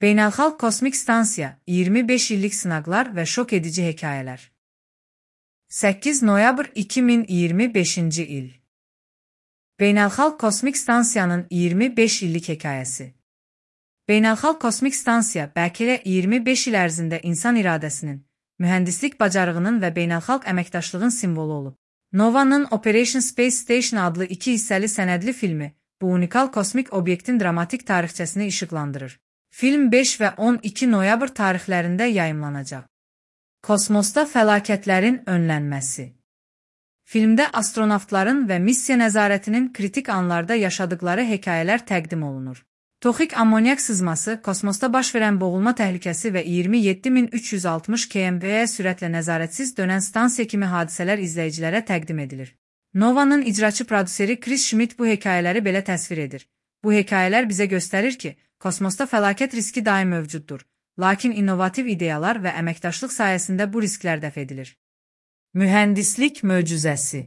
Beynəlxalq Kosmik Stansiya, 25 illik sınaqlar və şok edici hekayələr. 8 noyabr 2025-ci il. Beynəlxalq Kosmik Stansiyanın 25 illik hekayəsi. Beynəlxalq Kosmik Stansiya bəlkə də 25 il ərzində insan iradəsinin, mühəndislik bacarığının və beynəlxalq əməkdaşlığın simvolu olub. NOVA'nın Operation Space Station adlı 2 hissəli sənədli filmi bu unikal kosmik obyektin dramatik tarixçəsini işıqlandırır. Film 5 və 12 noyabr tarixlərində yayımlanacaq. Kosmosda fəlakətlərin önlənməsi. Filmdə astronavtların və missiya nəzarətinin kritik anlarda yaşadıkları hekayələr təqdim olunur. Toxik ammonyak sızması, kosmosda baş verən boğulma təhlükəsi və 27360 km/s sürətlə nəzarətsiz dönən stansiya kimi hadisələr izləyicilərə təqdim edilir. NOVA'nın icraçı prodüseri Chris Schmidt bu hekayələri belə təsvir edir. Bu hekayələr bizə göstərir ki, kosmosda fəlakət riski daim mövcuddur, lakin innovativ ideyalar və əməkdaşlıq sayəsində bu risklər dəf edilir. Mühəndislik möcüzəsi.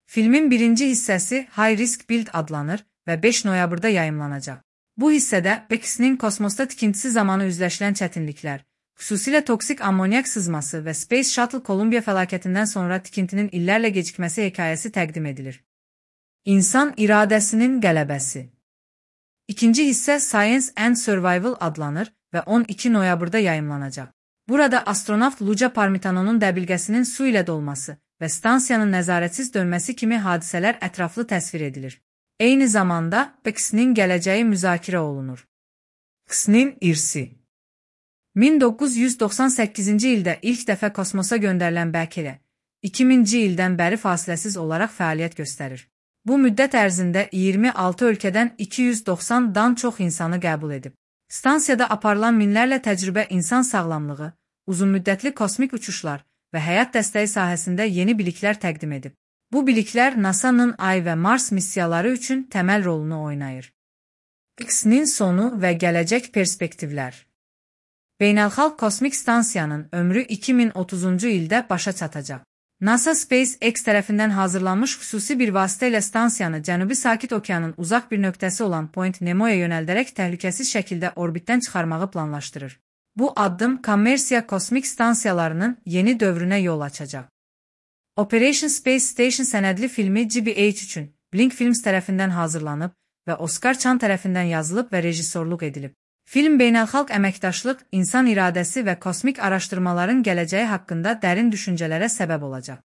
Filmin birinci hissəsi High Risk Build adlanır və 5 noyabrda yayımlanacaq. Bu hissədə BEX-nin kosmosda tikintisi zamanı üzləşilən çətinliklər, xüsusilə toksik ammonyak sızması və Space Shuttle Columbia fəlakətindən sonra tikintinin illərlə gecikməsi hekayəsi təqdim edilir. İnsan iradəsinin qələbəsi. İkinci hissə Science and Survival adlanır və 12 noyabrda yayımlanacaq. Burada astronavt Luca Parmitanonun dəbilqəsinin su ilə dolması və stansiyanın nəzarətsiz dönməsi kimi hadisələr ətraflı təsvir edilir. Eyni zamanda BEX-nin gələcəyi müzakirə olunur. BEX-nin irsi. 1998-ci ildə ilk dəfə kosmosa göndərilən BEX 2000-ci ildən bəri fasiləsiz olaraq fəaliyyət göstərir. Bu müddət ərzində 26 ölkədən 290-dan çox insanı qəbul edib. Stansiyada aparılan minlərlə təcrübə insan sağlamlığı, uzunmüddətli kosmik uçuşlar və həyat dəstəyi sahəsində yeni biliklər təqdim edib. Bu biliklər NASA'nın Ay və Mars missiyaları üçün təməl rolunu oynayır. BEX-nin sonu və gələcək perspektivlər. Beynəlxalq Kosmik Stansiyanın ömrü 2030-cu ildə başa çatacaq. NASA SpaceX tərəfindən hazırlanmış xüsusi bir vasitə ilə stansiyanı Cənubi Sakit Okeanın uzaq bir nöqtəsi olan Point Nemo'ya yönəldərək təhlükəsiz şəkildə orbitdən çıxarmağı planlaşdırır. Bu addım kommersiya kosmik stansiyalarının yeni dövrünə yol açacaq. Operation Space Station sənədli filmi GBH üçün Blink Films tərəfindən hazırlanıb və Oscar Chan tərəfindən yazılıb və rejissorluq edilib. Film beynəlxalq əməkdaşlıq, insan iradəsi və kosmik araşdırmaların gələcəyi haqqında dərin düşüncələrə səbəb olacaq.